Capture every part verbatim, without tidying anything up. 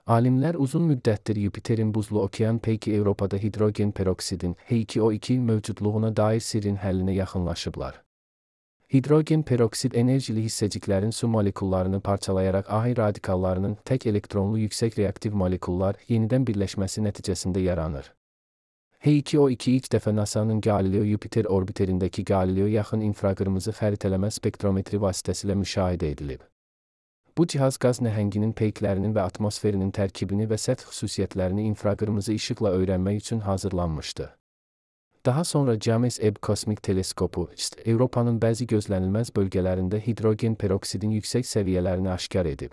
Alimler uzun müddətdir Yupiterin buzlu okean peyki Avropada hidrogen peroksidin H iki O iki mövcudluğuna dair sirrin həllinə yaxınlaşıblar. Hidrogen peroksid enerjili hissəciklərin su molekullarını parçalayaraq A radikallarının tək elektronlu yüksək reaktiv molekullar yenidən birləşməsi nəticəsində yaranır. H iki O iki ilk dəfə NASA'nın Galileo-Yupiter orbiterindəki Galileo yaxın infraqırmızı xəritələmə spektrometri vasitəsilə müşahidə edilib. Bu cihaz qaz nəhənginin peyklərinin və atmosferinin tərkibini və səth xüsusiyyətlərini infraqırmızı işıqla öyrənmək üçün hazırlanmışdı. Daha sonra James Webb Kosmik Teleskopu, Avropanın bəzi gözlənilməz bölgələrində hidrogen peroksidin yüksək səviyyələrini aşkar edib.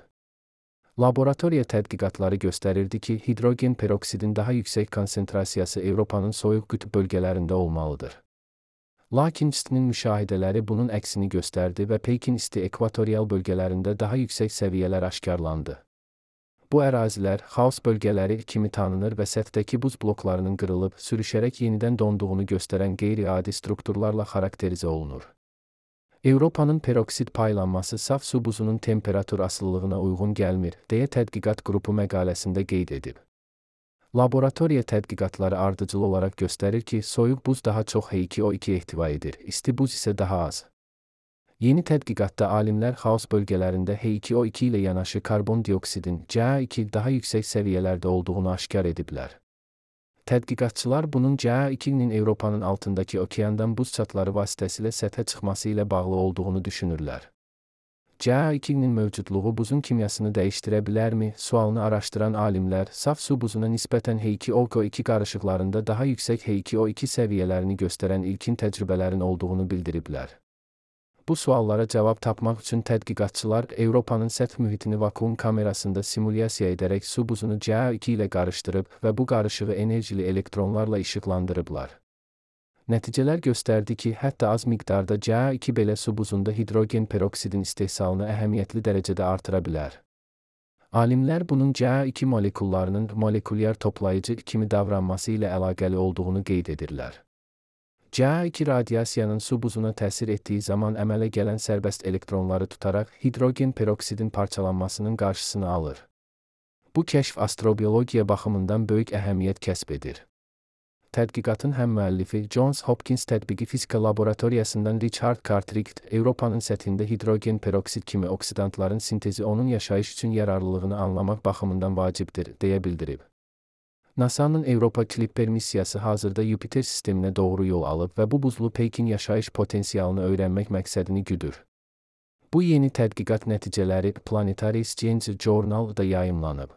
Laboratoriya tədqiqatları göstərirdi ki, hidrogen peroksidin daha yüksək konsentrasiyası Avropanın soyuq qütb bölgələrində olmalıdır. Lakin St'nin müşahidələri bunun əksini göstərdi və peykin isti ekvatorial bölgələrində daha yüksək səviyyələr aşkarlandı. Bu ərazilər, xaos bölgələri kimi tanınır və səthdəki buz bloklarının qırılıb, sürüşərək yenidən donduğunu göstərən qeyri-adi strukturlarla xarakterizə olunur. Avropanın peroksid paylanması saf su buzunun temperatur asılılığına uyğun gəlmir, deyə tədqiqat qrupu məqaləsində qeyd edib. Laboratoriya tədqiqatları ardıcıl olaraq göstərir ki, soyuq buz daha çox H iki O iki ehtiva edir, isti buz isə daha az. Yeni tədqiqatda alimlər xaos bölgələrində H iki O iki ilə yanaşı karbon dioksidin C A iki daha yüksək səviyyələrdə olduğunu aşkar ediblər. Tədqiqatçılar bunun C A ikinin Avropanın altındakı okeandan buz çatları vasitəsilə səthə çıxması ilə bağlı olduğunu düşünürlər. C A ikinin mövcudluğu buzun kimyasını dəyişdirə bilərmi sualını araşdıran alimlər, saf su buzuna nisbətən H iki O iki qarışıqlarında daha yüksək H iki O iki səviyyələrini göstərən ilkin təcrübələrin olduğunu bildiriblər. Bu suallara cavab tapmaq üçün tədqiqatçılar Avropanın səth mühitini vakuum kamerasında simulyasiya edərək su buzunu C A iki ilə qarışdırıb və bu qarışığı enerjili elektronlarla işıqlandırıblar. Nəticələr göstərdi ki, hətta az miqdarda C A iki belə su buzunda hidrogen peroksidin istehsalını əhəmiyyətli dərəcədə artıra bilər. Alimlər bunun C A iki molekullarının molekulyar toplayıcı kimi davranması ilə əlaqəli olduğunu qeyd edirlər. C A iki radiasiyanın su buzuna təsir etdiyi zaman əmələ gələn sərbəst elektronları tutaraq hidrogen peroksidin parçalanmasının qarşısını alır. Bu kəşf astrobiologiya baxımından böyük əhəmiyyət kəsb edir. Tədqiqatın həm müəllifi Johns Hopkins Tətbiqi Fizika Laboratoriyasından Richard Cartwright, Avropanın səthində hidrogen peroksid kimi oksidantların sintezi onun yaşayış üçün yararlılığını anlamaq baxımından vacibdir, deyə bildirib. NASA'nın Avropa Clipper missiyası hazırda Yupiter sisteminə doğru yol alıb və bu buzlu peykin yaşayış potensialını öyrənmək məqsədini güdür. Bu yeni tədqiqat nəticələri Planetary Science Journal-da yayımlanıb.